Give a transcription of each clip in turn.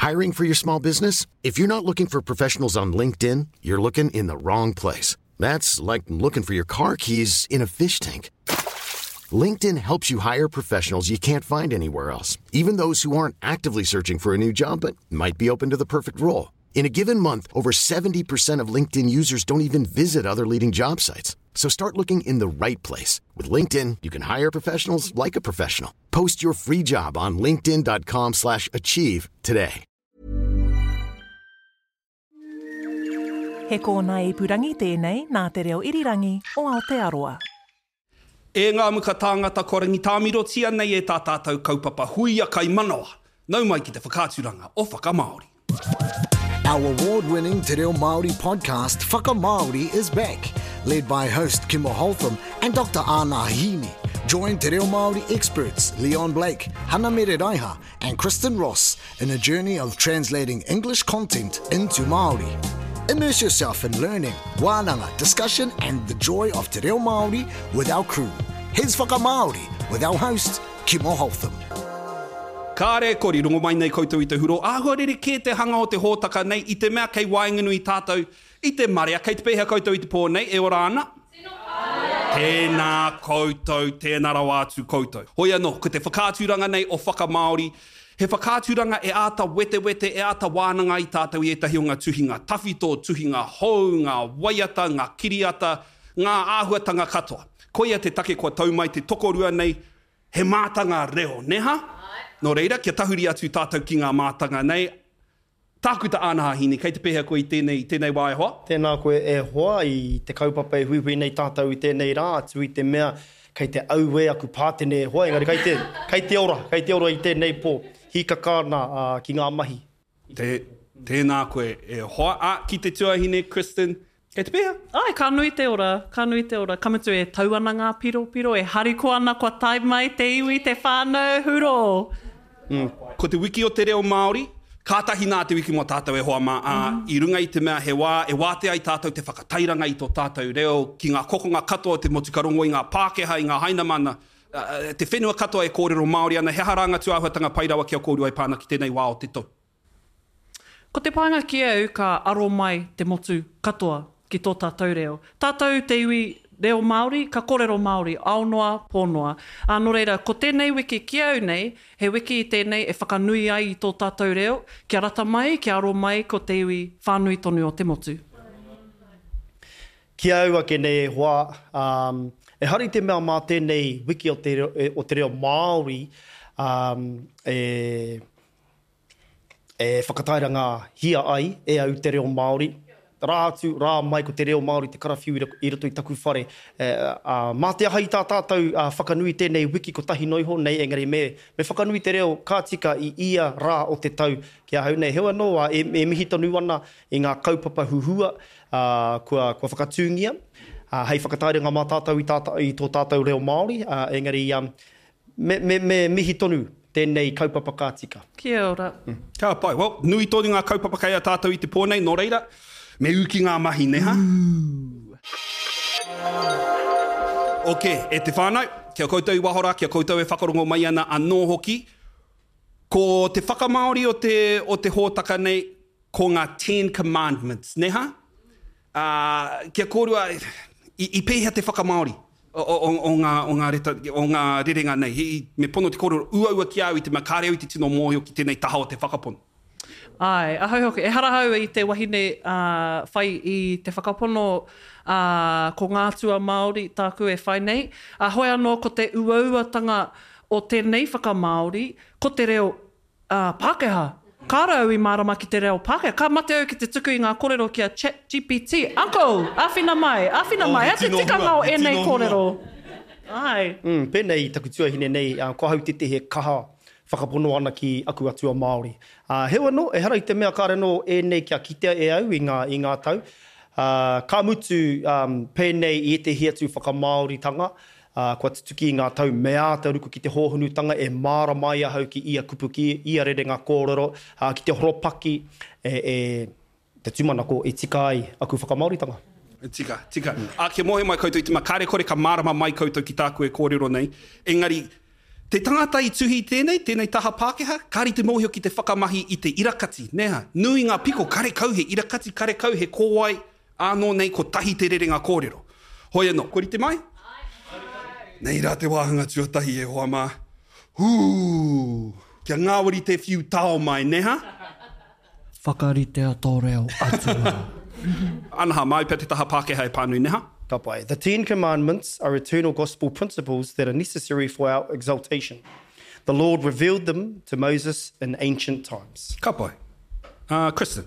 Hiring for your small business? If you're not looking for professionals on LinkedIn, you're looking in the wrong place. That's like looking for your car keys in a fish tank. LinkedIn helps you hire professionals you can't find anywhere else, even those who aren't actively searching for a new job but might be open to the perfect role. In a given month, over 70% of LinkedIn users don't even visit other leading job sites. So start looking in the right place. With LinkedIn, you can hire professionals like a professional. Post your free job on linkedin.com slash achieve today. He kōnae ipurangi tēnei nā Te Reo Irirangi o Aotearoa. E ngā muka tāngata kua rangitāmirotia nei e tā tātou kaupapa huia kaimanawa, nau mai ki te whakaaturanga o Whakamāori. Our award-winning Te Reo Māori podcast Whakamāori is back, led by host Kimo Holtham and Dr Ana Hini. Join Te Reo Māori experts Leon Blake, Hana Mere Raiha and Kristen Ross in a journey of translating English content into Māori. Immerse yourself in learning, wānanga, discussion and the joy of Te Reo Māori with our crew. Here's Whakamāori with our host, Kimo Holtham. Kāre e kore, rongo mai nei koutou i te huro, āhua rerekē te hanga o te hōtaka nei i te mea kei waenganui tātou i te marea. Kei te pēhea koutou i te pō nei, e ora ana? Tino pai! Tēnā koutou, tēnā rawa atu koutou. Hoi anō, ko te whakaaturanga nei o Whakamāori, he whakaaturanga e āta wetewete, e āta wānanga ai tātou i ētahi o ngā tuhinga tawhito, tuhinga hou, ngā waiata, ngā kiriata, ngā āhuatanga katoa. Koia te take kua tau mai te tokorua nei, he mātanga reo, nē hā? Nō reira, kia tahuri atu tātou ki ngā mātanga nei, Tākuta Ānaha Hine, kei te pēhea koe i tēnei, i tēnei wā e hoa? Tēnā koe e hoa i te kaupapa e huihui nei tātou i tēnei rā, atu i te mea kei te auē aku pātene e hoa, engari kei te, kei te ora, kei te ora i tēnei pō, hīkaka ana ki ngā mahi. Tē, tēnā koe e hoa. Ā, ki te tuahine, Kristen, kei te pēhea? Āe, ka nui te ora, ka nui te ora. Ka mutu e tau ana ngā piropiro, e harikoa ana kua tae mai te iwi, te whānau, hurō! Ko te wiki o te reo Māori, kātahi nā te wiki mō tātou e hoa mā, ā, i runga i te mea he wā e wātea ai tātou te whakatairanga i tō tātou reo ki ngā kokonga katoa o te motu ka rongo i ngā Pākehā, i ngā Hainamana, te whenua katoa e kōrero Māori ana, he aha rā ngā tūāhuatanga pai rawa ki a kōrua e pā ana ki tēnei wā o te tau? Ko te painga ki au ka aro mai te motu katoa ki tō tātou reo. Tātou te iwi reo Māori, ka korero Māori, ao noa, pō noa. Ā, nō reira, ko tēnei wiki ki au nei, he wiki tēnei e whakanui ai i tō tātou reo, kia rata mai, kia aro mai ko te iwi whānui tonu o te motu. Ki a au ake nei e hoa, ā, ehara i te mea mā tēnei wiki o te, o te reo Māori, ā, e, e whakatairangahia ai e au te reo Māori. Rā atu, rā mai ko te reo Māori te karawhiu i roto i taku whare. Ā, mā te aha i tā tātou whakanui tēnei wiki kotahi noa iho nei, engari me, me whakanui te reo ka tika i ia rā o te tau ki ahau nei. Heoi anō, ā, e, e mihi tonu ana i ngā kaupapa huhua, ā, kua, kua whakatūngia, ā, hei whakatairanga mā tātou i tā, i tō tātou reo Māori, ā, engari, ā, Me, me, me mihi tonu tēnei kaupapa ka tika. Kia ora. Ka pai. Well, nui tonu ngā kaupapa kei a tātou i te pō nei, nō reira, me ū ki ngā mahi, nē hā? Ok, e te whānau, ki a koutou i waho rā, ki a koutou e whakarongo mai ana anō hoki, ko te whakamāori o te, o te hōtaka nei, ko ngā Ten Commandments, nē hā? Ā, ki a kōrua, i, i pēhea te whakamāori o, o, o, ngā, o ngā reta, o ngā rerenga nei? I, me pono te kōrero, uaua ki a au i te mea kāre au i te tino mōhio ki tēnei taha o te whakapono. Āe, ahau hoki. Ehara au i te wahine, ā, whai i te whakapono, ā, ko ngā atua Māori tāku e whai nei. Ā, hoi anō ko te uauatanga o tēnei whakamāori, ko te reo Ā, Pākehā. Kāore au i mārama ki te reo Pākehā. Ka mate au ki te tuku i ngā kōrero ki a Chat GPT. Uncle! Āwhina mai! Āwhina mai! He te tikanga o ēnei kōrero? Āe. Mm, pēnei i taku tuahine nei, ko ahau tētehi e kaha whakapono ana ki aku atua Māori. Ā, heoi anō, ehara i te mea kāore anō ēnei kia kitea e au i ngā, i ngā tau. Ā, ka mutu, ā, pēnei i ētehi atu whakamāoritanga, ā, kua tutuki i ngā tau me āta ruku ki te hōhonutanga e mārama ai ahau ki ia kupu, ki ia rerenga kōrero, ā, ki te horopaki e, e, te tūmanako e tika ai aku whakamāoritanga. Tika, tika. Ā, kia mōhio mai koutou i te mea kāre kore ka mārama mai koutou ki tāku e kōrero nei, engari, Te tangata i tuhi i tēnei, tēnei taha Pākehā, kāre i te mōhio ki te whakamahi i te irakati, nē hā? Nui ngā piko, karekau he irakati, karekau he kōwae, ānō nei kotahi te rerenga kōrero. Hoi anō, kua rite mai? Nei rā te wāhanga tuatahi e hoa mā. Hū! Kia ngāwari te whiu tao mai, nē hā? Whakaritea tō reo atua. Anaha, māu pea te taha Pākehā e pānui, neha? Ka pai. The Ten Commandments are eternal gospel principles that are necessary for our exaltation. The Lord revealed them to Moses in ancient times. Ka pai. Uh, Kristen.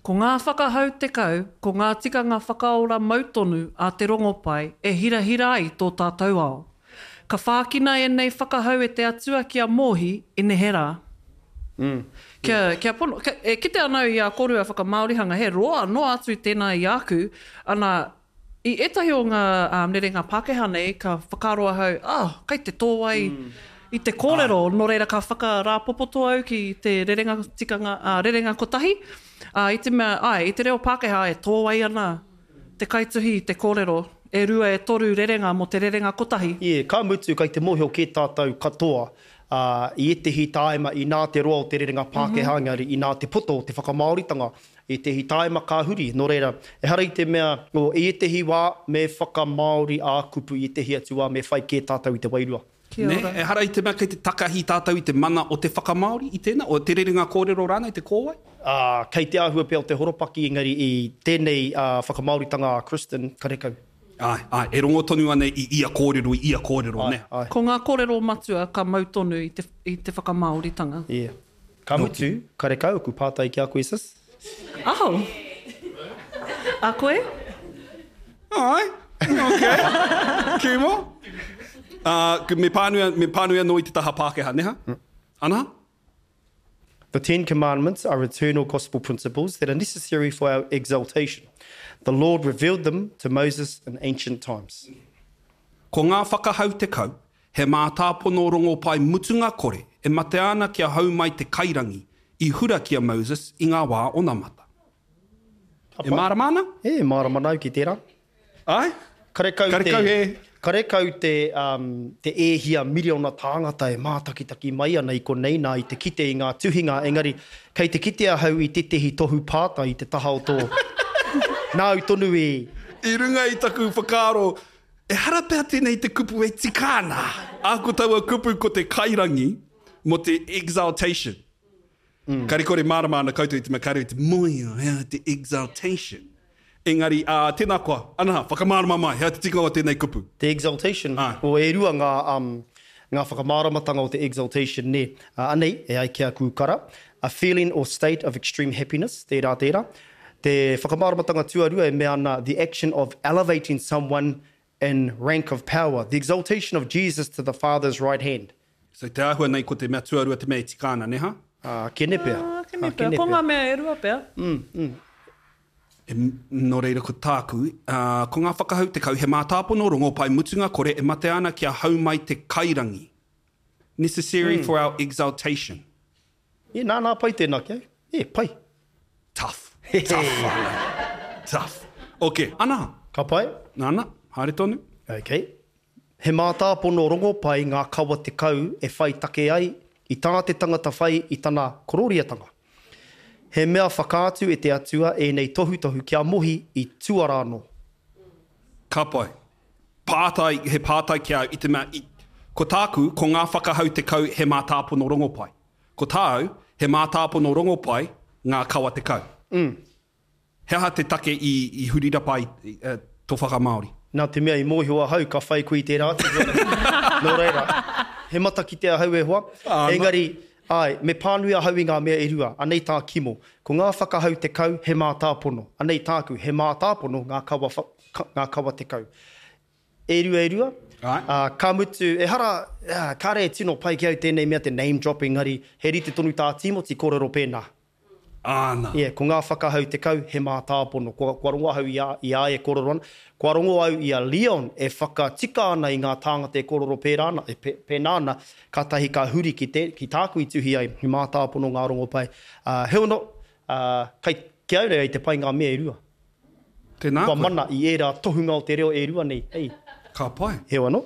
Ko ngā whakahau tekau, ko ngā tikanga whakaora mau tonu a te Rongopai e hirahira ai tō tātou ao. Ka whākina ēnei whakahau e te Atua ki a Mohi i neherā. Kia, kia pono, kia, e kite ana au i a kōrua whakamāorihanga, he roa noa atu tēnā i āku, ana, i ētahi o ngā um, rerenga Pākehā nei, ka whakaaro ahau, oh, kei te tōwai i te kōrero, nō reira ka whakarāpopoto au ki te rerenga tikanga, ā, rerenga kotahi, ā, i te mea, āe, i te reo Pākehā e tōwai ana te kaituhi i te kōrero, e rua e toru rerenga mō te rerenga kotahi. Yeah, ka mutu kei te mōhio kē tātou katoa, ā, i ētehi tāima inā te roa o te rerenga Pākehā engari inā te poto o te whakamāoritanga, ētehi tāima ka huri. Nō reira, ehara i te mea, oh, i ētehi wā me whakamāori ā-kupu, i ētehi atu wā me whai kē tātou i te wairua. Kia Nē, ora. ehara i te mea kei te takahi tātou i te mana o te whakamāori i tēnā, o te rerenga kōrero rānei, te kōwae? Ā, kei te āhua pea o te horopaki, engari i tēnei whakamāoritanga a Kristen, karekau. Āe, āe, e rongo tonu ana i ia kōrero, i ia kōrero, nē? Āe, āe. Ko ngā kōrero matua ka mau tonu i te, i te whakamāoritanga. Yeah. Ka mutu, karekau aku pātai ki a koe, sis. Oh! A koe? Āe, ok. Kimo? Ā, me pānui, me pānui anō i te taha Pākehā, nē hā? Ana? The Ten Commandments are eternal gospel principles that are necessary for our exaltation. The Lord revealed them to Moses in ancient times. Ko ngā whakahau tekau, he mātāpono rongopai mutunga kore e matea ana kia hau mai te kairangi i hura ki a Moses i ngā wā onamata. E mārama ana? E mārama ana au ki tērā. Āe? Karekau te, Karekau he. Karekau te, um, te e hia miriona tāngata e mātakitaki mai ana i konei nā i te kite i ngā tuhinga, engari kei te kite ahau i tētehi tohu pātai i te taha o tō, nāu tonu i. I runga i taku whakaaro, ehara pea tēnei te kupu e tika ana. Ā, ko taua kupu ko te kairangi mō te exaltation. Kare kore mārama ana koutou i te mea kare i te moio, he aha te exaltation. Engari, ā, tēnā koa, ana, whakamārama mai, he aha te tikanga o tēnei kupu? Te exaltation, Āe. o e rua ngā, um, ngā whakamāramatanga o te exaltation, nē. Ā, anei, e ai ki a Kūkara, a feeling or state of extreme happiness, tērā, tērā. Te whakamāramatanga tuarua e mea ana, the action of elevating someone in rank of power, the exaltation of Jesus to the Father's right hand. So te āhua nei ko te mea tuarua te mea e tika ana, ne ha? Ā, kene pea. Ā, kene pea. Ko ngā mea e rua pea. Mm, mm. E, nō reira ko tāku, ā, ko ngā whakahau tekau he mātāpono rongopai mutunga kore e matea ana kia hau mai te kairangi. Necessary mm. for our exaltation. E, nā, nā, pai tēnā ki au. E, pai. Tough. Tough whānau. Tough. Ok, ana. Ka pai? Ana, haere tonu. Ok. He mātāpono rongopai ngā kawa tekau e whai take ai i tā te tangata whai i tana korōriatanga. He mea whakaatu e te Atua ēnei tohutohu ki a Mohi i tua rā anō. Ka pai. Pātai, he pātai ki a au i te mea i, ko tāku, ko ngā whakahau tekau he mātāpono rongopai. Ko tāu, he mātāpono rongopai ngā kawa tekau. He aha te take i, i hurirapa ai tō whakamāori? Nā te mea i mōhio ahau ka whai koe i tērā atu huarahi. Nō reira, he matakite ahau e hoa. Engari, āe, me pānui ahau i ngā mea e rua. Anei tā Kimo, ko ngā whakahau tekau he mātāpono. Anei tāku, he mātāpono ngā kawa, ngā kawa tekau. E rua, e rua. Ā, ka mutu, ehara, kāre e tino pai ki au tēnei mea te name drop engari, he rite tonu tā Tīmoti kōrero pēnā. Āna. Yeah, ko ngā whakahau tekau he mātāpono. Kua, kua rongo ahau i a, i a ia e kōrero ana. Kua rongo au i a Leon e whakatika ana i ngā tāngata e kōrero pērā ana, e pē, pēnā ana, kātahi ka huri ki te, ki tāku i tuhi ai, he mātāpono ngā rongopai. Ā, heoi anō, ā, kei, ki au nei i te pai ngā mea e rua. Tēnā Kua koe. mana i ērā tohunga o te reo e rua nei, hei. Ka pai. Heoi anō.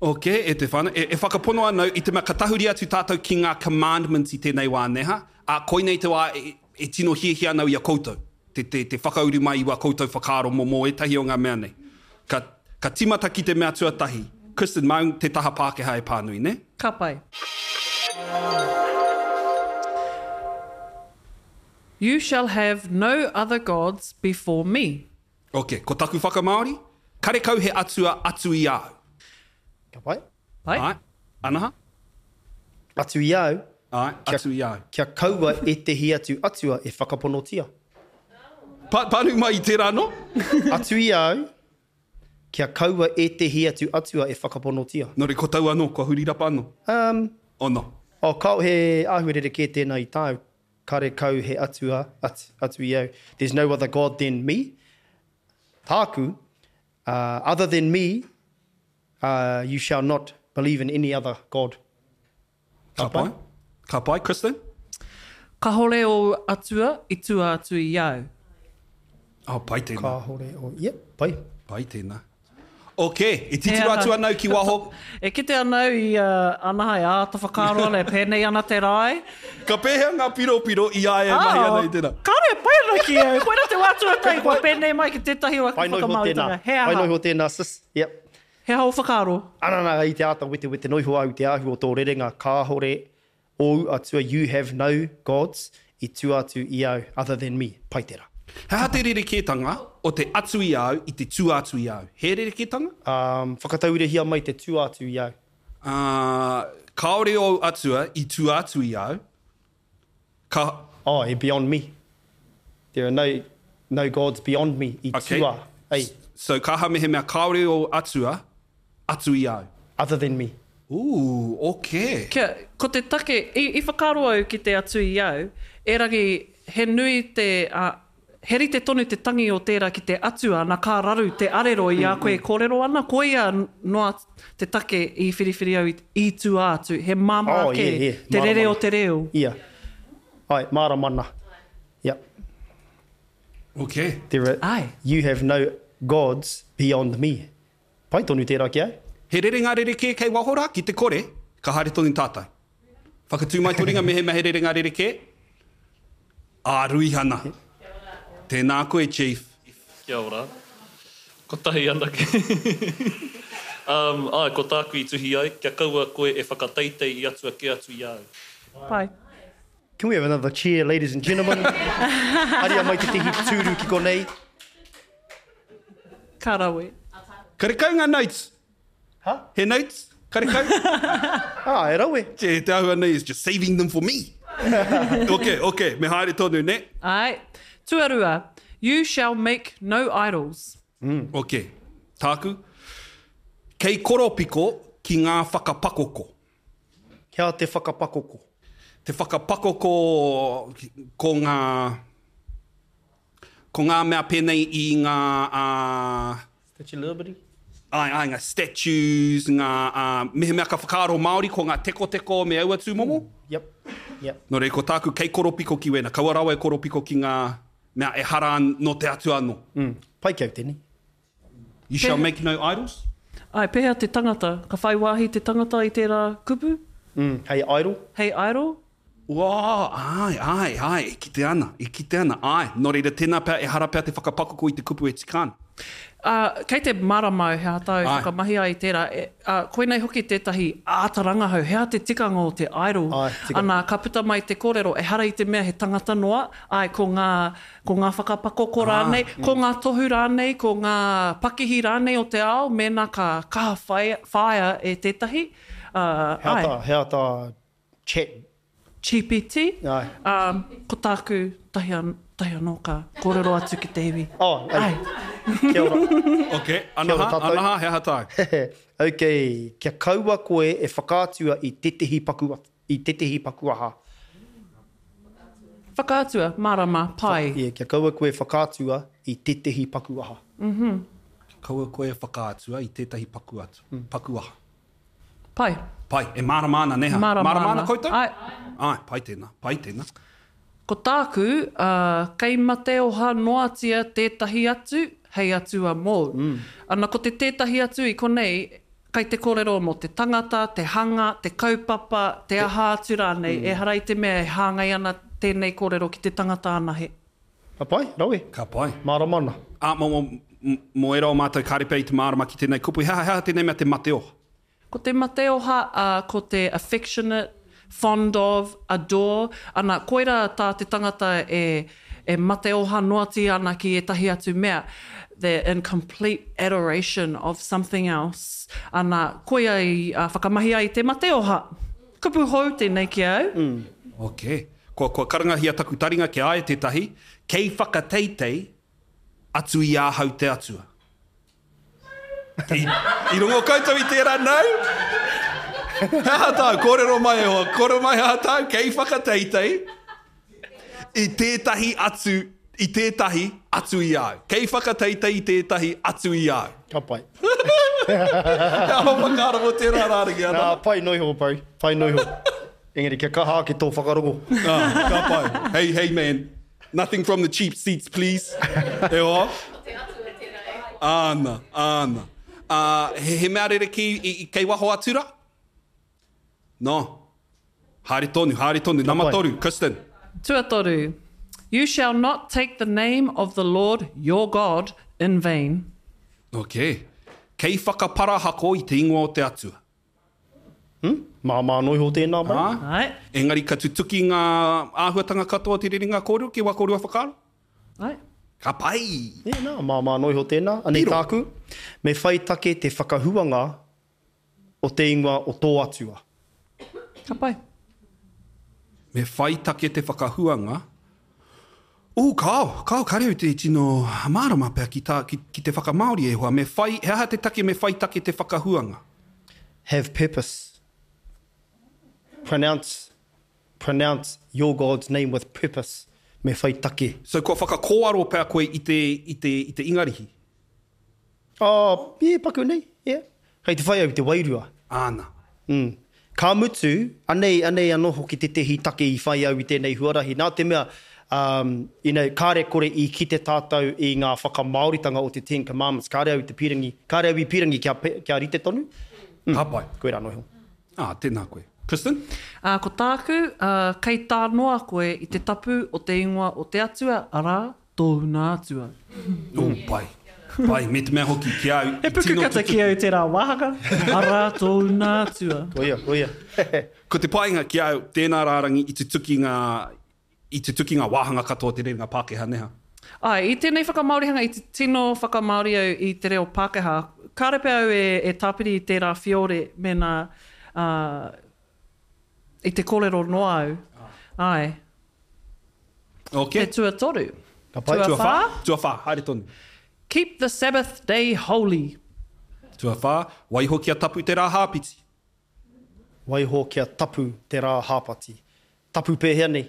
Ok, e te whānau, e, e whakapono ana au i te mea ka tahuri atu tātou ki ngā commandments i tēnei wā, nē ha? Ā, koinei te wā e, e tino hiahia ana au i a koutou, te, te, te whakauru mai i wā koutou whakaaro mō, mō ētahi o ngā mea nei. Ka, ka tīmata ki te mea tuatahi, Kristen, māu te taha Pākehā e pānui, nē? Ka pai. You shall have no other gods before me. Ok, ko taku whakamāori, karekau he atua atu i a au. Ka pai. Pai. Āe. Anaha? Atu i a au. Āe, atu i a au. Kia kaua ētehi atu atua e whakaponotia. Pa, pānui mai i tērā anō. Atu i a au, kia kaua ētehi atu atua e whakaponotia. Nō reira, ko tau anō, kua huri rapa anō. Um. Ono. Oh, kao, he āhua rerekē tēnā i tāu. Karekau he atua atu i au. There's no other God than me. Tāku, other than me, you shall not believe in any other God. Ka pai. Ka pai, Kristen? Kahore ou atua i tua atu i au. Oh, pai tēnā. Kahore ou, yep, pai. Pai tēnā. Ok, e titiro atu ana au ki waho. E kite ana au i a Anaha e āta whakaaro ana, e pēnei ana te rae. Ka pēhea ngā piropiro i a ia e mahi ana i tērā? Kāore e pai ana ki au. Koirā te wā tuatahi kua pēnei mai ki tētahi o aku whakamāoritanga. He aha? Pai noa iho tēnā, sis. Yep. He aha ō whakaaro? Ana nā, i te āta wetewete noa iho au i te āhua o tō rerenga, kāore Ōu atua you have no gods i tua atu i au other than me. Pai tera. He aha te rerekētanga o te atu i a au i te tua atu i a au? He rerekētanga? Um, whakatauirahia mai te tua atu i au. Uh, kāore ōu atua i tua atu i a au. Ka. Oh, e beyond me. There are no, no gods beyond me i Okay. tua, ei. So ka aha mehemea kāore ōu atua atu i a au? Other than me. Ooh, okay. Kia, ko te take, i, i whakaaro au ki te atu i au, erangi he nui te, ā, he rite tonu te tangi o tērā ki te atua, na ka raru te arero i a koe e kōrero ana, koia noa te take i whiriwhiri au i, i tua atu, he māmā Oh, kē yeah, yeah. te rere Mārama o te reo. Ia. Ai, mārama ana. Yep. Okay. There are, Ai. You have no gods beyond me. Pai tonu tērā ki au. He rerenga rerekē kei waho rā, ki te kore, ka haere tonu tātou. Whakatū mai tō ringa mehemea he rerenga rerekē. Ā, Ruihana. Tēnā koe, Chief. Kia ora. Kotahi anake. Um, āe, ko tāku i tuhi ai, kia kaua koe e whakateitei i atua kē atu i a au. Pai. Can we have another cheer, ladies and gentlemen? Haria mai tētehi tūru ki konei. Ka rawe. Karekau ngā notes. Huh? He notes? Karekau? Ah, e rawe. Te, te āhua nei is just saving them for me. ok, ok, me haere tonu, ne? Āe. Tuarua, you shall make no idols. Mm. Ok, tāku. Kei koropiko ki ngā whakapakoko. Kia te whakapakoko? Te whakapakoko ko ngā... Ko ngā mea pēnei i ngā, ā. Statue of Liberty? Āe, āe, ngā statues, ngā, ā, mehemea ka whakaaro Māori ko ngā tekoteko me aua tūmomo. Yep, yep. Nō reira, ko tāku kei koropiko ki wēnā, kaua rawa e koropiko ki ngā mea ehara nō te Atua anō. Mm, pai ki au tēnei. You shall make no idols? Āe, pēhea te tangata? Ka whai wāhi te tangata i tērā kupu? Mm, hei idol? Hei idol? Ua, āe, āe, āe, e kite ana, e kite ana, āe. Nō reira, tēnā pea, ehara pea te whakapakoko i te kupu e tika ana. Ā, kei te mārama au he aha tāu whakamahi ai i tērā. E, ā, koinei hoki tētahi āta rangahau, he aha te tikanga o te idol? Āe, tika. Ana, ka puta mai te kōrero, ehara i te mea he tangata noa, āe, ko ngā, ko ngā whakapakoko rānei, ko ngā tohu rānei, ko ngā pakihi rānei o te ao, mēnā ka kaha whai, whāia e tētahi, ā, He aha āe. tā, he aha tā Chat. GPT, Āe. ā, ko tāku tahi, tahi anō ka kōrero atu ki te iwi. Oh, ei. Āe. Kia ora. Ok, anaha, Kia ora tātou. anaha, he aha tāu? Ok, kia kaua koe e whakaatua i tētehi paku, i tētehi paku aha. Whakaatua, mārama, pai. Yeah, kia kaua koe e whakaatua i tētehi paku aha. Kia kaua koe e whakaatua i tētahi paku atu, paku aha. Pai. Pai, e mārama ana, nē hā? Mārama Mārama ana ana. koutou? Āe. Āe, pai tēnā, pai tēnā. Ko tāku, ā, kei mate oha noatia tētahi atu hei atua mōu. Ana, ko te tētahi atu i konei, Kai te kōrero mō te tangata, te hanga, te kaupapa, te aha atu rānei, ehara i te mea e hāngai ana tēnei kōrero ki te tangata anahe. Ka pai, rawe. Ka pai. Mārama ana. Ā, mō, mō, mō ērā o mātou kāre pea i te mārama ki tēnei kupu, he aha, he aha tēnei mea te mateoha? Ko te mateoha, ā, ko te affectionate, fond of, adore, ana, koirā tā te tangata e, e mateoha noatia ana ki ētahi atu mea, they're in complete adoration of something else, ana, koia i whakamahi ai te mateoha. Kupu hou tēnei ki a au. Ok. Kua, kua karangahia taku taringa ki a ia tētahi, kei whakateitei atu i ahau te Atua. I, i rongo koutou i tērā nau? He aha tāu? Kōrero mai e hoa. Kōrero mai he aha tāu? Kei whakateitei i tētahi atu, i tētahi atu i a au. Kei whakateitei i tētahi atu i a au. Ka pai. He aha whakaaro mō tērā rārangi, Ana? Nā, pai noa iho, Barry. Pai noa iho. Engari kia kaha ake tō whakarongo. Ah, ka pai. Hey, hey man. Nothing from the cheap seats, please. E hoa. Ko te atua tera e. Āna, āna. Ā, he, he mea rerekē i, i, kei waho atu rā? No. Haere tonu, haere tonu. Nama toru, Kristen. Tuatoru, You shall not take the name of the Lord your God in vain. Ok. Kei whakaparahako i te ingoa o te Atua. Hmm? Māmā noa iho tēnā mai. Ā? Āe. Engari ka tutuki ngā āhuatanga katoa o te rerenga kōrero ki wā kōrua whakaaro? Āe. Ka pai! Ē, nā, māmā noa iho tēnā. Anei Piro. tāku, me whai take te whakahuanga o te ingoa o tō Atua. Ka pai. Me whai take te whakahuanga Ooh, kāo, kāo, kāre au te tino mārama pea ki tā, ki, ki te whakamāori e hoa. Me whai, he aha te take me whai take te whakahuanga? Have purpose. Pronounce, pronounce your God's name with purpose. Me whai take. So kua whakakōaro pea koe i te, i te, i te Ingarihi? Oh, yeah, paku nei, yeah. Kei te whai au i te wairua. Āna. Mm. Ka mutu, anei, anei anō hoki tētehi take i whai au i tēnei huarahi, nā te mea, um, you know, kāre kore i kite tātou i ngā whakamāoritanga o te Ten Commandments, kāre au i te pīrangi, kāre au i pīrangi kia, kia rite tonu. Mm. Ka pai. Koirā noa iho. Ā, tēnā koe. Kristen? Ā, ko tāku, ā, kei tā noa koe i te tapu o te ingoa o te Atua, arā, Tōuna Atua. Oh, pai. Pai, me te mea hoki ki au, He i tino pukukata tutuki. ki au tērā wāhanga, arā tōuna Atua. Koia, koia. Ko te painga ki au, tēnā rārangi i tutuki ngā, i tutuki ngā wāhanga katoa o te rerenga Pākehā neha. Āe, i tēnei whakamāorihanga i te tino whakamāori au i te reo Pākehā. Kāre pea au e, e tāpiri i tērā whiore mēnā, ā, i te kōrero noa au. Āe. Okay. Te tuatoru. Ka pai. Tuawhā. Tuawhā, haere tonu. Keep the Sabbath day holy. Tuawhā, waiho kia tapu te rā hāpiti. Waiho kia tapu te rā hāpati. Tapu pēhea nei?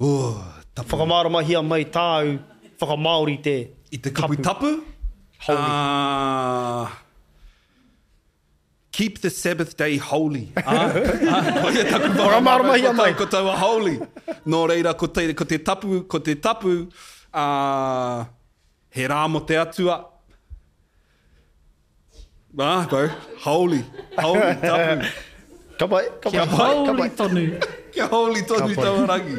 Oh, tapu. Whakamāramahia mai tāu whakamāori te I te kupu tapu? Holy. Uh, Keep the Sabbath day holy. Ā, ā, koia taku Whakamāramahia mai. Ko taua holy. Nō reira, ko te, ko te tapu, ko te tapu, ā, he rā mō te Atua. Ā, bro, holy, holy, tapu. Ka pai, ka pai. Kia holy tonu. Kia holy tonu taua rangi.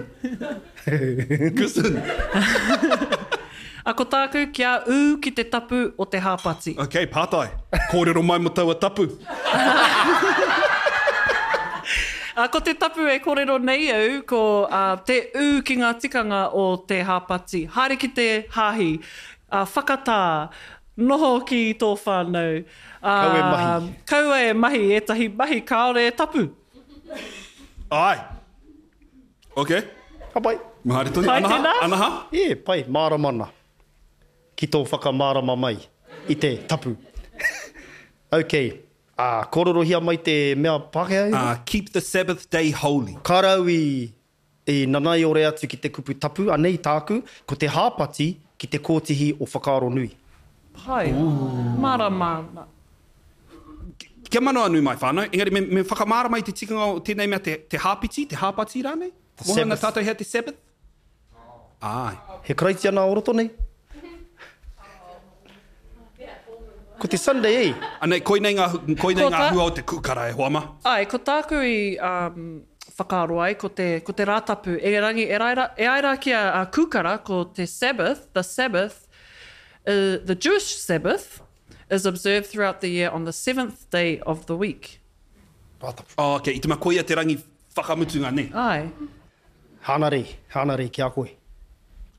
Kristen. A ko tāku, kia ū ki te tapu o te hāpati. Ok, pātai. Kōrero mai mō taua tapu. A ko te tapu e kōrero nei au, ko te ū ki ngā tikanga o te hāpati. Haere ki te hāhi, whakatā, noho ki tō whānau, ā, Kaua e mahi. Kaua e mahi ētahi mahi kāore e tapu. Āe. Ok. Ka pai. Haere tonu. Pai Anaha, tēnā? anaha. E, pai, mārama ana. Ki tō whakamārama mai i te tapu. Ok. Ā, kōrorohia mai te mea Pākehā e? Ā, keep the Sabbath day holy. Ka rau i, i nanaiore atu ki te kupu tapu, anei tāku, ko te hāpati ki te kōtihi o whakaaro nui. Pai. Mārama ana. Kia manawanui mai whānau, engari me, me whakamārama i te tikanga o tēnei mea te, te hāpiti, te hāpati rānei? The Moha ana Sabbath. tātou hea te Sabbath? Āe. He Karaitiana o roto nei? Ko te Sunday e. Anei, koinei ngā, koinei Ko ngā tā- hua o te kūkara e hoa ma. Āe, ko tāku i um, whakaaro ai, ko te, ko te Rātapu. Erangi, e, raira, e ai rā ki a, a Kūkara, ko te Sabbath, the Sabbath, uh, the Jewish Sabbath, is observed throughout the year on the seventh day of the week. Rātapu. Oh, okay, i te mea koia te rangi whakamutunga, nē? Āe. Hānarei, hānarei ki a koe.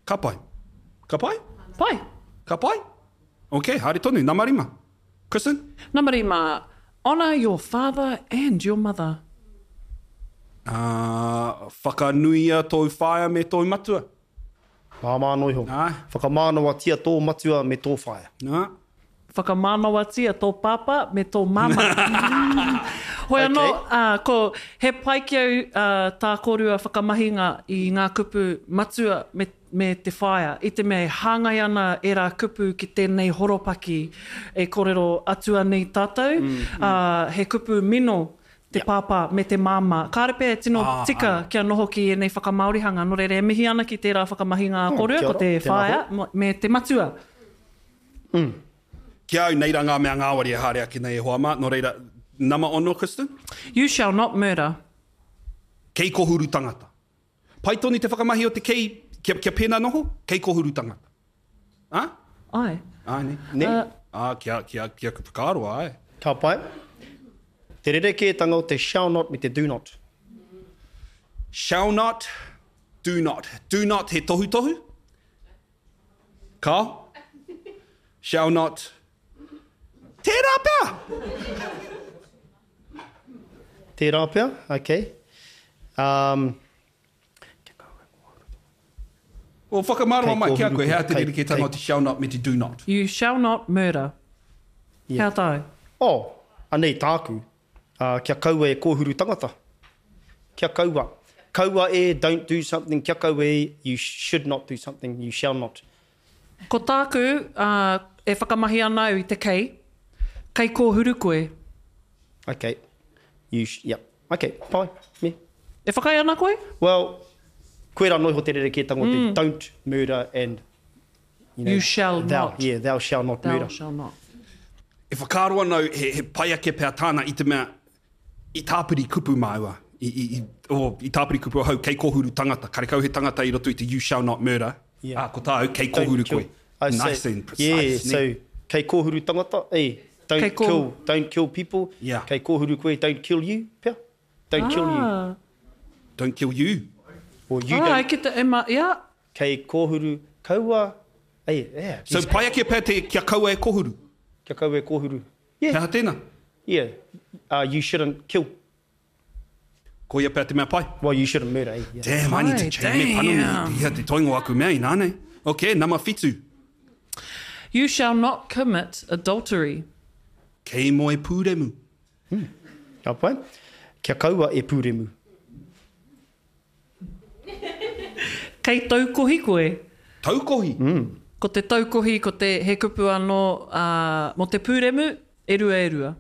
Ka pai. Ka pai? Pai. Ka pai? Ok, haere tonu, nama rima. Kristen? Nama rima, Honour your father and your mother. Uh, whakanuia tōu whaea me tōu matua. Māmā noa iho. Āe. Whakamānawatia tō matua me tō whaea. Nā. Whakamānawatia tō pāpā me tō māmā. Hoi anō, Okay. ā, ko, he pai ki au ā, tā kōrua whakamahinga i ngā kupu matua me, me te whaea, i te mea e hāngai ana ērā kupu ki tēnei horopaki e kōrero atua nei tātou, ā, he kupu mino te pāpā me te māmā. Kāre pea e tino tika kia noho ki ēnei whakamāorihanga, nō reira e mihi ana ki tērā whakamahinga a kōrua, ko te whaea me te matua. Ki a au, nei rā ngā mea ngāwari e haere ake nei e hoa mā, nō reira, nama ono, Kristen? You shall not murder. Kei kohuru tangata. Pai tonu te whakamahi o te kei, kia, kia pēnā noho, kei kohuru tangata. Ā? Āe. Āe, nē. Nē? Ā, kia, kia, kia whakaaro, āe. Ka pai. Te rerekētanga o te shall not me te do not. Shall not, do not. Do not he tohutohu? Kao? Shall not. Tērā pea! Tērā pea, okay. Um, Well, whakamārama mai ki a koe, he aha te Kei- rerekētanga o te shall not me te do not? You shall not murder. Yeah. Hea tāu? Oh, anei tāku, uh, kia kaua e kōhuru tangata. Kia kaua. Kaua e, don't do something, kia kaua e, you should not do something, you shall not. Ko tāku, uh, e whakamahi ana au i te kei, kei kōhuru koe. Okay. You sh yep. Okay, pai. Me. E whakaae ana koe? Well, koe rā noa iho te rerekētanga o te don't murder and, you know, You shall thou, not. Yeah, thou shall not Thou murder. shall not. E whakaaro ana au he, he pai ake pea tāna i te mea i tāpiri kupu māua, i, i, i, oh, i tāpiri kupu ahau, kei kōhuru tangata, karekau he tangata i roto i te you shall not murder, Yeah. ā, ko tāu, kei Don't kōhuru kill. koe. I say- Nice and precise. Yeah, nē? so kei kōhuru tangata, eh, don't Kei kō- kill, don't kill people. Yeah. Kei kōhuru koe, don't kill you, pea. Don't kill you. Ah. Don't kill you. Or you Ah, don't. ki te, e ma, yeah. Kei kōhuru, kaua, eh, yeah. So pai ake pea te kia kaua e kōhuru. Kia kaua e kōhuru. He Yeah, aha tēnā? yeah. Uh, you shouldn't kill. Koia pea te mea pai. Well, you shouldn't murder, eh? Yeah. Damn, I need to Ai, change me panoni damn. i te toinga o aku mea inā nei. Ok, nama whitu. You shall not commit adultery. Kei moe pūremu. Ka pai. Kia kaua e pūremu. Kei taukohi koe. Taukohi. Ko te taukohi, ko te he kupu anō uh, mō te pūremu, e rua e rua.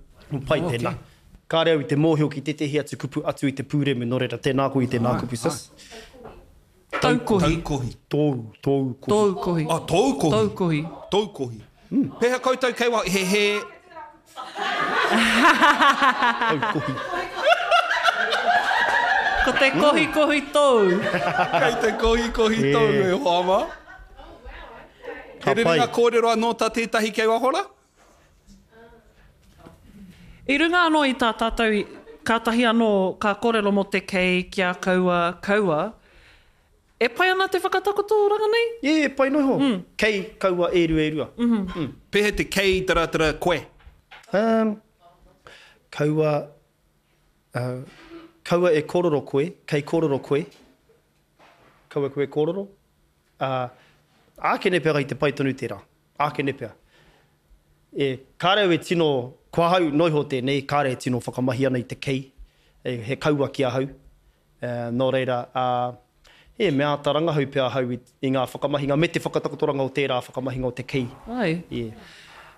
Pai tēnā. Kāre au i te mōhio ki tētehi atu kupu atu i te pūremu, nō reira tēnā koe i tēnā kupu, sis. Taukohi. Taukohi. Tōu, tōu kohi. Tōu kohi. Oh, tōu kohi. Tōu kohi. Tōu kohi. Pēhea koutou kei wa, he he... Tōu kohi. Ko te kohi kohi tōu. Kei te kohi kohi tōu e hoa mā. He Ka pai. rerenga kōrero anō tā tētahi kei waho rā? I runga anō i tā tātou, i- kātahi anō ka kōrero mō te kei, kia kaua, kaua. E pai ana te whakatakoto ranga nei? Yeah, pai noa iho. Kei kaua e rua e rua. Pēhea te kei tara tara koe? Um, kaua, uh, kaua e kororo koe, kei kororo koe. Kaua koe kororo. Uh, ākene pea i te pai tonu tērā. Ākene pea. E, kāre au e tino, ko ahau noa iho tēnei, kāre e tino whakamahi ana i te kei. E, he kaua ki ahau. Uh, nō reira, uh, e mea āta rangahau pea ahau i, i ngā whakamahinga me te whakatakotoranga o tērā whakamahinga o te kei. Ai. Yeah.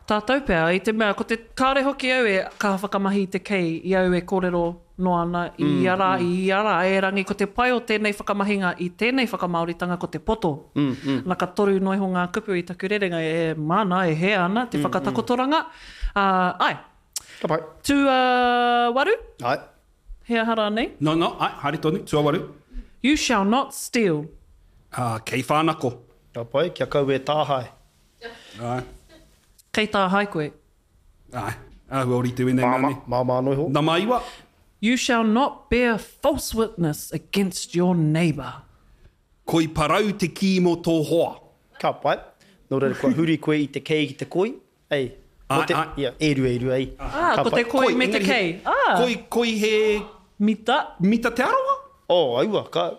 Tātou pea, i te mea, ko te, kāore hoki au e kaha whakamahi i te kei i au e kōrero noa ana i ia rā, i ia rā, erangi ko te pai o tēnei whakamahinga i tēnei whakamāoritanga ko te poto. Na ka toru noa iho ngā kupu i taku rerenga e māna, e hē ana te whakatakotoranga. Ā, āe. Ka pai. Tuawaru? Āe. He aha rānei? No, no, āe, haere tonu, tuawaru. You shall not steal. Ā, kei whānako. Ka pai, kia kaua e tāhae. Āe. Kei tāhae koe. Āe, āhua ōrite wēnei mea nei. Māmā noa iho. Nama iwa. You shall not bear false witness against your neighbour. Koi parau te kī mō tō hoa. Ka pai. Nō reira, kua huri koe i te kei ki te koi. Ei. Āe, āe. Ia, e rua, e rua, ei. Ā, ko te koi me te kei. Ā. Koi, koi he. Mita. Mita Te Arawa? Oh, aua, ka,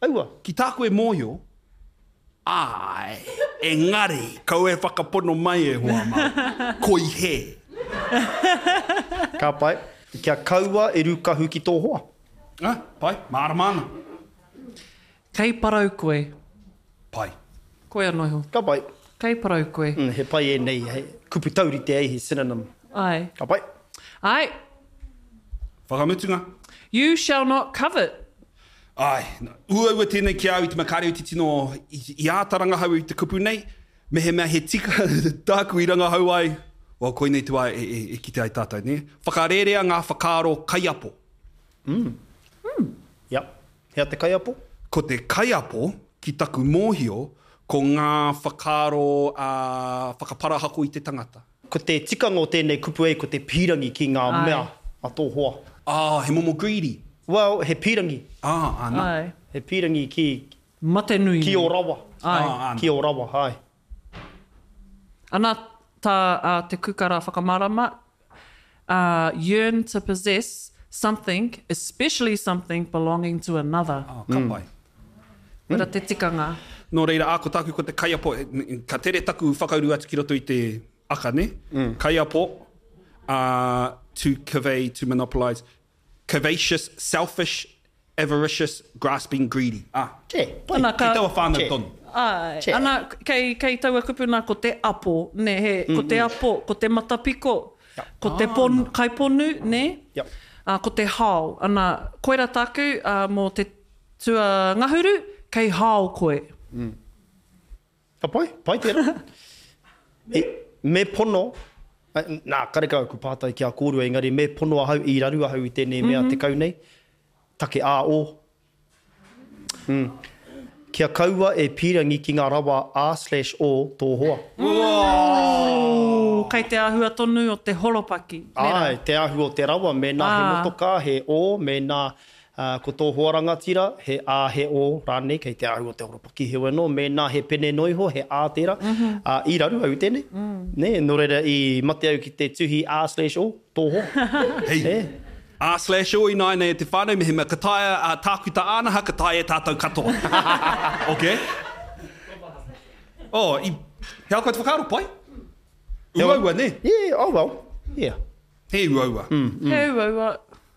aua. Ki tāku e mōhio, Āe, engari, kaua e whakapono mai e hoa mā, koi hē. Ka pai. Kia kaua e rūkahu ki tō hoa. Ah, pai, mārama ana. Kei parau koe. Pai. Koe anō iho. Ka pai. Kei parau koe. Mm, he pai ēnei, he kupu taurite ai, he synonym. Āe. Ka pai. Āe. Whakamutunga. You shall not covet. Āe, uaua tēnei ki a au i te mea kāre au te tino i āta rangahau i te kupu nei, mehemea he tika tāku i rangahau ai, well koinei te wā e kite ai tātou, nē? Whakarērea ngā whakaaro kaiapo. Mm. Mm. Yep. Hea te kaiapo? Ko te kaiapo, ki taku mōhio, ko ngā whakaaro whakaparahako i te tangata. Ko te tikanga o tēnei kupu ei ko te pīrangi ki ngā mea a tō hoa. Ah, he momo greedy. Well, he pīrangi. Ah, ana. Ae. He pīrangi ki. Mate nui Ki ō rawa. Ae. Ah, ana. Ki ō rawa, ae. Ana tā a Te Kukara whakamārama, uh, yearn to possess something, especially something belonging to another. Ah, ka pai. Koira te tikanga. Nō reira, ā, ko tāku ko te kaiapo, ka tere taku whakauru atu ki roto i te aka, nē? Kaiapo, ā, to convey, to monopolise, covetous, selfish, avaricious, grasping, greedy. Ā. Che, pai. Ana, ka. Kei taua whānau tonu. Āe. Che. Ana, kei, kei taua kupu nā ko te apo, nē, he, ko te apo, ko te matapiko, ko te pon, kaiponu, nē? Yep. Ā, ko te hao. Ana, koira tāku, ā, mō te Tua ngahuru, kei hao koe. Ka pai, pai tērā. E, me pono, nā, karekau aku pātai ki a kōrua, engari me pono ahau, i raru ahau i tēnei mea 10 nei, take ā-o. Mm. Kia kaua e pīrangi ki ngā rawa A slash O tō hoa. Ooh, kei te āhua tonu o te horopaki, nē rā? Āe, te āhua o te rawa, mēnā he motokā, he O, mēnā Ā, ko tō hoa rangatira, he A, he O rānei, kei te āhua o te horopaki. Heoi anō, mēnā he pene noa iho, he A tērā, ā, i raru au i tēnei, nē, nō reira i mate au ki te tuhi A slash O, tō hoa. Hei, Nē. A slash O ināianei e te whānau, mehemea ka taea a Tākuta Ānaha, ka taea e tātou katoa. Ok. Oh, i, he aha koe te whakaaro, pai? Uaua, nē? Yeah, oh well, yeah. He uaua. He uaua.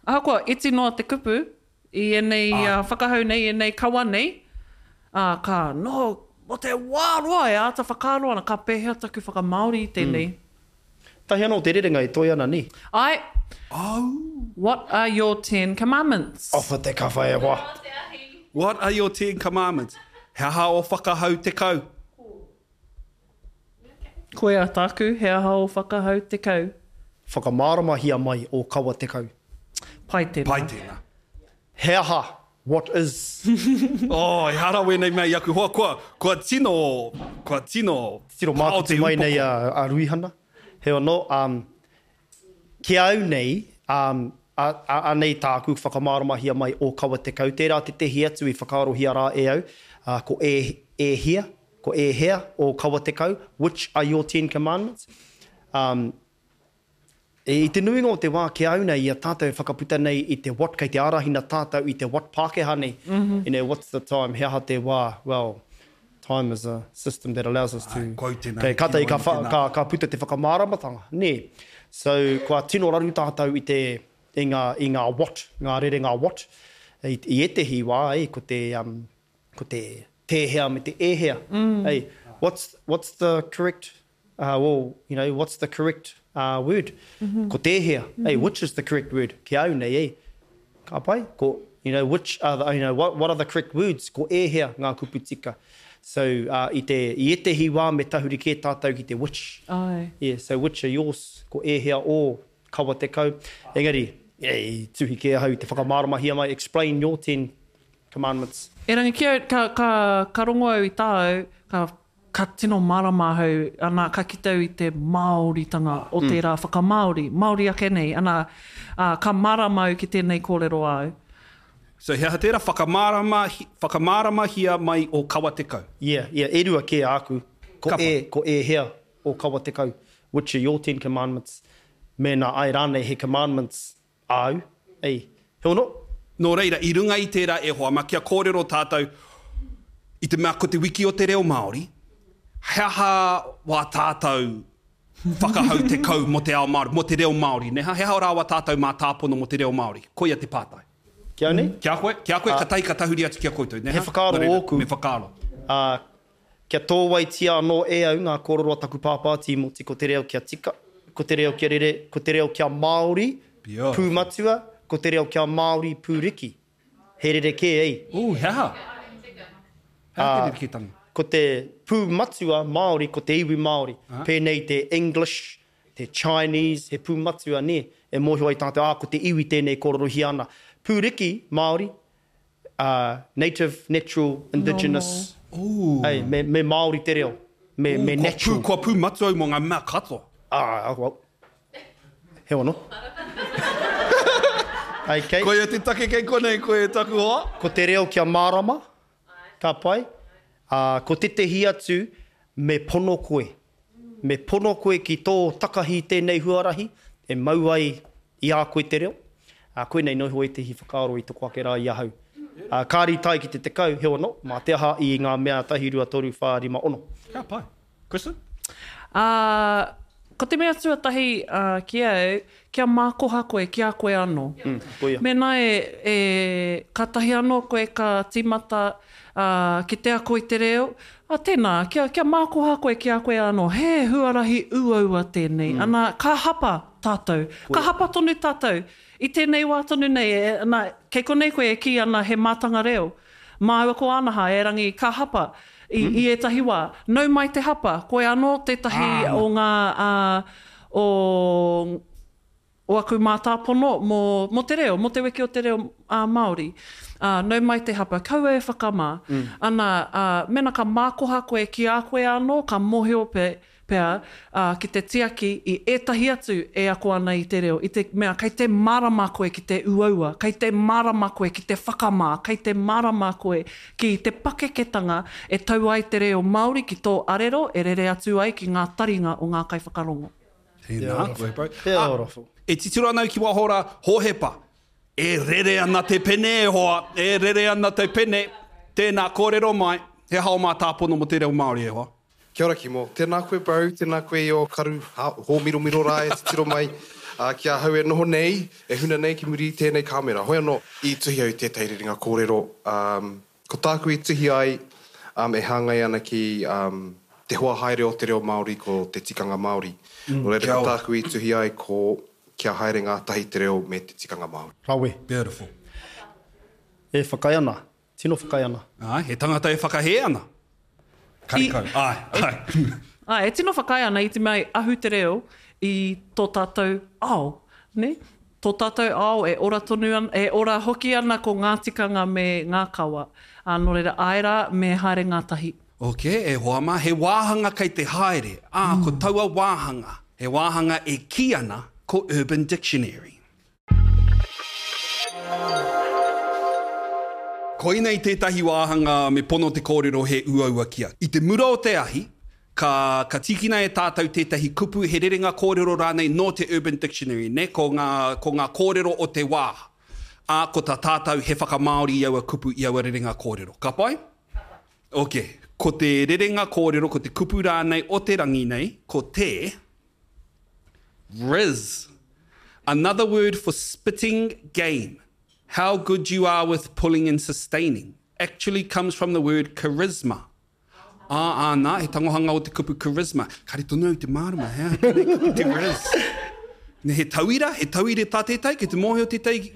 Ahakoa iti noa te kupu i ēnei whakahau nei, ēnei kawa nei, ā, ka noho mō te wā roa e āta whakaaro ana ka pēhea taku whakamāori i tēnei. Tahi anō te rerenga e toe ana, nē? Āe. What are your ten commandments? Offer te kawha e hoa. What are your ten commandments? He aha ō whakahau 10? Koia tāku, he aha ō whakahau 10? Whakamāramahia mai ō kawa 10. Pai tēnā. Pai tēnā. He aha, what is? Oh, ehara wēnei mea i aku hoa, kua, kua tino, kua tino Tiro pao mākutu te mai upoko. nei a, a Ruihana. Heoi anō, um, ki a au nei, um, a, a, anei tāku whakamāramahia mai ō kawa 10. Tērā tētehi atu i whakaarohia rā e au, uh, ko e, e hia, Ko ēhea ō kawa 10, which are your ten commandments? Um, i te nuinga o te wā ki a au nei, i a tātou e whakaputa nei i te what, kei te ārahina tātou i te what Pākehā nei. Mm -hmm. You know, what's the time? He aha te wā? Well, time is a system that allows us to... Ai, kua tēnā, Kei, kātahi ka, tēnā. ka, ka puta te whakamāramatanga, nē. So, kua tino raru tātou i te, i ngā, i ngā what, ngā rerenga what. I, i ētehi wā, eh, ko te, um, ko te tēhea me te ēhea. Hey, what's, what's the correct? Uh, well, you know, what's the correct uh, word? Mm -hmm. Ko tēhea, mm -hmm. hey, which is the correct word? Ki au nei, eh? Ka pai? Ko, you know, which are the, you know, what, what are the correct words? Ko ēhea ngā kupu tika? So, uh, i te, i ētehi wā me tahuri kē tātou ki te which. Ai. Yeah, so which are yours? Ko ēhea ō kawa tekau. Engari, yeah, i tuhi kē ahau i te whakamāramahia mai, explain your ten commandments. Erangi, ki au, ka, ka, ka rongo au i tāu, ka Ka tino mārama ahau, ana, ka kite au i te Māoritanga o tērā whakamāori, Māori ake nei, ana, ā, ka mārama au ki tēnei kōrero āu. So he aha tērā? Whakamārama, whakamāramahia mai o kawa tekau. Yeah, yeah, e rua kē āku. Ko e, ko ēhea o kawa tekau, which are your ten commandments, mēnā āe rānei he commandments Āu, ei, he ono? Nō reira, i runga i tērā e hoa ma, kia kōrero tātou i te mea ko te wiki o te reo Māori, he aha wā tātou whakahau tekau mō te ao Māori, mō te reo Māori, nē ha? He aha rā wā tātou mātāpono mō te reo Māori? Koia te pātai. Ki au nei? Ki a koe, ki a koe, katahi ka tahuri atu ki a koutou, nē ha? He whakaaro Nō reira, ōku. me whakaaro. Ā, Kia tōwaitia anō e au ngā kōrero a taku pāpā Tīmoti ko te reo kia tika, ko te reo kia rere, ko te reo kia Māori pūmatua, ko te reo kia Māori pūriki. He rerekē, ei. Ooh, he aha? He aha te rerekētanga? Ko te pūmatua Māori ko te iwi Māori, pēnei te English, te Chinese, he pūmatua, nē, e mōhio ai tātou, ā, ko te iwi tēnei e kōrerohia ana. Pūriki, Māori, uh, native, natural, indigenous. Ooh. Hey, me, me Māori te reo. Me, Ooh, me natural. Kua pū, kua pū matua au mō ngā mea katoa. Ah, well. He ono. okay. Koia te take kei konei koe e taku hoa. Ko te reo kia mārama. Ka pai. Ā, ko tētehi atu, me pono koe. Me pono koe ki tō takahi i tēnei huarahi, e mau ai i a koe te reo. Ā, koinei noa iho ētehi whakaaro i toko ake rā i ahau. Ā, kāre i tae ki te tekau, heoi anō, mā te aha i ngā mea tahi, rua, toru, whā, rima, ono. Ka pai. Kristen? Ā, ko te mea tuatahi, ā, ki au, kia mākoha koe ki a koe anō. Mm, koia. Mēnā e, e, kātahi anō koe ka tīmata, ā, ki te ako i te reo, ā, tēnā, kia, kia mākoha koe ki a koe anō, he huarahi uaua tēnei, mm. ana, ka hapa tātou, koia. ka hapa tonu tātou, i tēnei wā tonu nei, e, ana, kei konei koe e kī ana he mātanga reo, māua ko Ānaha, erangi, ka hapa, i, mm. i ētahi wā. Nau mai te hapa, koe anō tētahi ah. o ngā, ā, o, o aku mātāpono mō, mō te reo, mō te wiki o te reo ā, Māori. Ā, nau mai te hapa, kaua e whakamā. Mm. Ana, ā, mēnā ka mākoha koe ki a koe anō, ka mōhio pe, pea, ā, ki te tiaki i ētahi atu e ako ana i te reo, i te mea kei te mārama koe ki te uaua, kei te mārama koe ki te whakamā, kei te mārama koe ki te pakeketanga e tau ai te reo Māori ki tō arero e rere atu ai ki ngā taringa o ngā kaiwhakarongo. Tēnā koe, bro. Ah, e titiro ana au ki waho rā, Hōhepa, e rere ana te pene e hoa, e rere ana te pene, tēnā, kōrero mai, he aha ō mātāpono mō te reo Māori e hoa? Kia ora Kimo. Tēnā koe bro, tēnā koe i ō karu hōmiromiro rā e titiro mai ki ahau e noho nei, e huna nei ki muri i tēnei kāmera. Hoi anō, i tuhi au i tētahi rerenga kōrero, ko tāku i tuhi ai e hāngai ana ki te hoa haere o te reo Māori ko te tikanga Māori. Nō reira ko tāku i tuhi ai ko kia haere ngātahi te reo me te tikanga Māori. Rawe. Beautiful. E whakaae ana. Tino whakaae ana. Āe, he tangata e whakahē ana. Karekau. Āe, āe. Āe, e tino whakaae ana i te mea i ahu te reo i tō tātou ao, nē? Tō tātou ao e ora tonu ana, e ora hoki ana ko ngā tikanga me ngā kawa. Ā, nō reira, āe rā, me haere ngātahi. Ok, e hoa mā, he wāhanga kei te haere, ā, ko taua wāhanga, he wāhanga e kī ana ko Urban Dictionary. Koinei tētahi wāhanga me pono te kōrero he uaua ki a. I te mura o te ahi, ka, ka tīkina e tātou tētahi kupu, he rerenga kōrero rānei nō te Urban Dictionary, nē, ko ngā, ko ngā kōrero o te wā. Ā, ko tā tātou he whakamāori i aua kupu, i aua rerenga kōrero. Ka pai? Ok. Ko te rerenga kōrero, ko te kupu rānei o te rangi nei, ko te. Riz. Another word for spitting game. How good you are with pulling and sustaining. Actually comes from the word charisma. Ā, āna, he tangohanga o te kupu charisma. Kāre tonu au i te mārama, he aha tēnei kupu te riz? Nē, he tauira, he tauira tā tētahi, kei te mōhio tētahi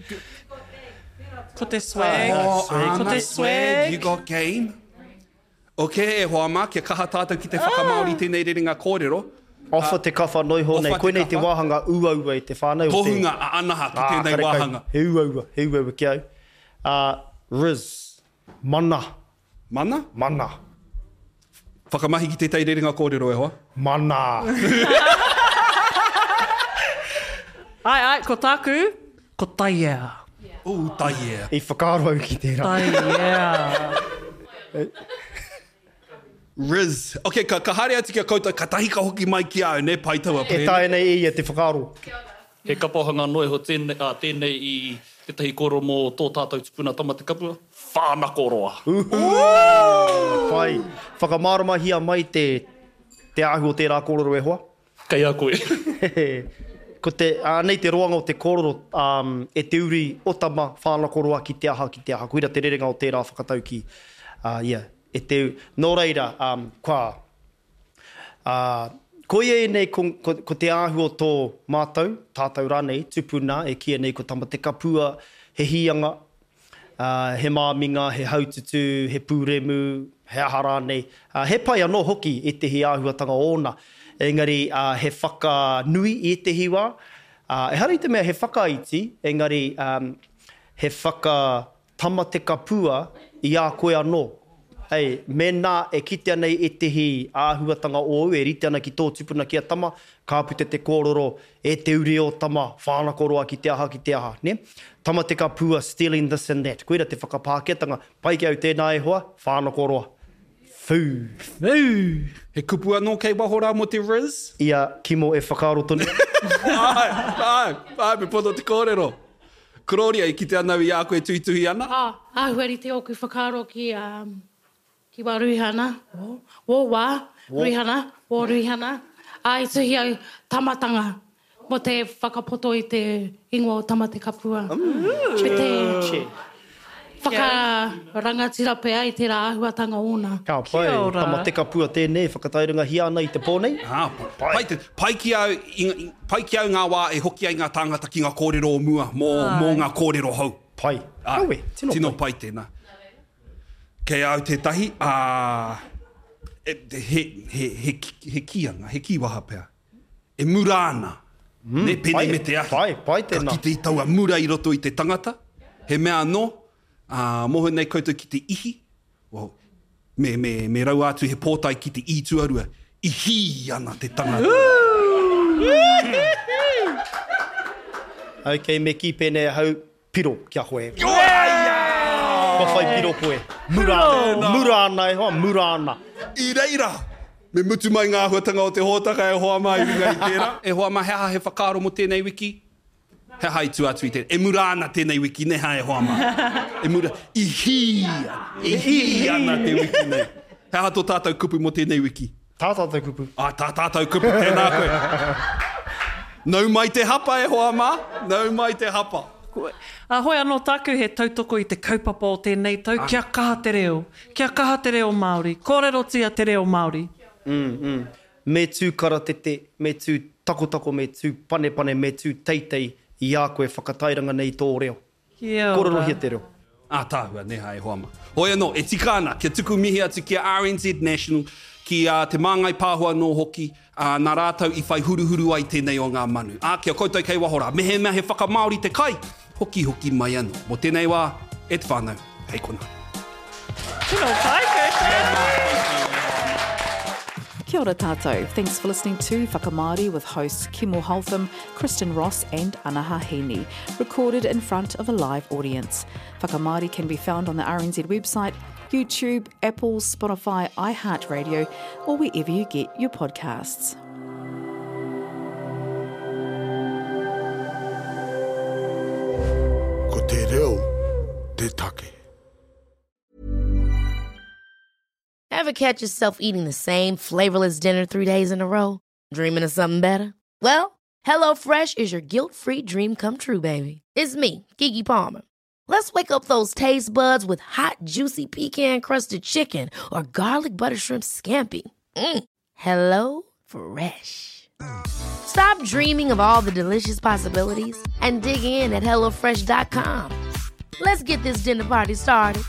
Ko te swag. Oh, Ko āna, te swag. You got game. Ok, e hoa mā, kia kaha tātou ki te whakamāori tēnei rerenga kōrero. Offer te kawha noa iho nei, koinei te wāhanga uaua i te whānau o te. Tohunga a Anaha ki tēnei wāhanga. He uaua, he uaua ki au. Riz. Mana. Mana? Mana. Whakamahi ki tētahi rerenga kōrero e hoa. Mana. Āe, āe, ko tāku, ko taiea. Ooh, taiea. I whakaaro au ki tērā. Taiea. Riz. Ok, ka, ka haere atu ki a koutou, katahi ka hoki mai ki a au, nē, pai taua E pēne. taea nei e ia te whakaaro. He kapohanga noa iho tēnei, ā, tēnei i tētahi kōrero mō tō tātou tupuna Tamatekapua, Whānakoroa. Pai. Whakamāramahia mai te, te āhua o tērā kōrero e hoa. Kei a koe. Ko te, anei te roanga o te kōrero, e te uri o Tama, Whānakoroa ki te aha, ki te aha. Koira te rerenga o tērā whakataukī. Ā, ia, e te, nō reira, kua, ā, koia ēnei ko, ko, ko te āhua o tō mātou, tātou rānei, tupuna e kīia nei ko Tamatekapua, he hīanga, ā, he māminga, he haututū, he pūremu, he aha rānei. Ā, he pai anō hoki ētehi āhuatanga ōna, engari, ā, he whakanui i ētehi wā. Ā, ehara i te mea he whakaiti, engari, ā, he whaka Tamatekapua i a koe anō. Hei, mēnā e kitea nei ētehi āhuatanga ōu e rite ana ki tō tupuna ki a Tama, ka puta te kōrero, e te uri o Tama, whānakoroa ki te aha, ki te aha, nē? Tamatekapua stealing this and that. Koira te whakapākehātanga, pai ki au tēnā e hoa, whānakoroa. Whū. Whū. He kupu anō kei waho rā mō te riz? I a Kimo e whakaaro tonu. Āe, āe, āe, me pono te kōrero. Kororia, i kite ana au i a koe e tuhituhi ana. Ā, āhua rite ōku whakaaro ki, ā, ki wā Ruihana, wō wā, Ruihana, wō Ruihana, ā, i tuhi au tamatanga mō te whakapoto i te ingoa o Tamatekapua. Me te whakarangatira pea i tērā āhuatanga ōna. Ka pai, Tamatekapua tēnei e whakatairangahia ana i te pō nei. Ā, pai te, pai ki au, i, pai ki au ngā wā e hoki ai ngā tāngata ki ngā kōrero o mua, mō, mō ngā kōrero hou. Pai. Ā, Kawe, tino pai. Tino pai tēnā. Kei a au tētahi, ā, e, he, he, he, he kīanga, he kīwaha pea. E mura ana. Mm, ne, pēnei me te ahi. Pai, pai tēnā. Ka kite i taua mura i roto i te tangata. He mea anō, ā, mōhio nei koutou ki te ihi, well, me, me, me raua atu he pōtae ki te i tuarua, ihī ana te tangata. Ok, me kī pēnei ahau, piro ki a koe. Kua whai piro koe. Mura ana, mura ana e hoa, mura ana. I reira, me mutu mai ngā āhuatanga o te hōtaka e hoa mā i runga i tērā. E hoa mā, he aha he whakaaro mō tēnei wiki? He aha i tua atu i tēnei? E mura ana tēnei wiki, nē hā e hoa mā? E mura, i hī, i hī ana te wiki nei. He aha tō tātou kupu mō tēnei wiki? Tā tātou kupu. Ā, tā tātou kupu, tēnā koe. Nau mai te hapa e hoa mā, nau mai te hapa. Ā, hoi anō tāku he tautoko i te kaupapa o tēnei tau, kia kaha te reo, kia kaha te reo Māori, kōrerotia te reo Māori. Me tū karatete, me tū takotako, me tū panepane, me tū teitei i a koe whakatairanga nei tō reo. Kia ora. Kōrerohia te reo. Ātaahua, nē hā e hoa mā. Hoi anō, e tika ana kia tuku mihi atu ki a RNZ National, ki a Te Māngai Pāho anō hoki, ā, nā rātou i whai huruhuru ai tēnei o ngā manu. Ā, ki a koutou kei waho rā, mehemea he whakamāori te kai, hokihoki mai anō. Mō tēnei wā, e te whānau, hei konā. Tino pai koutou! Kia ora tātou. Thanks for listening to Whakamāori with hosts Kimo Holtham, Kristen Ross and Anaha Heaney, recorded in front of a live audience. Whakamāori can be found on the RNZ website, YouTube, Apple, Spotify, iHeartRadio, or wherever you get your podcasts. Ko te reo te take. Ever catch yourself eating the same flavorless dinner 3 days in a row? Dreaming of something better? Well, HelloFresh is your guilt-free dream come true, baby. It's me, Keke Palmer. Let's wake up those taste buds with hot, juicy pecan crusted chicken or garlic butter shrimp scampi. Hello Fresh. Stop dreaming of all the delicious possibilities and dig in at HelloFresh.com. Let's get this dinner party started.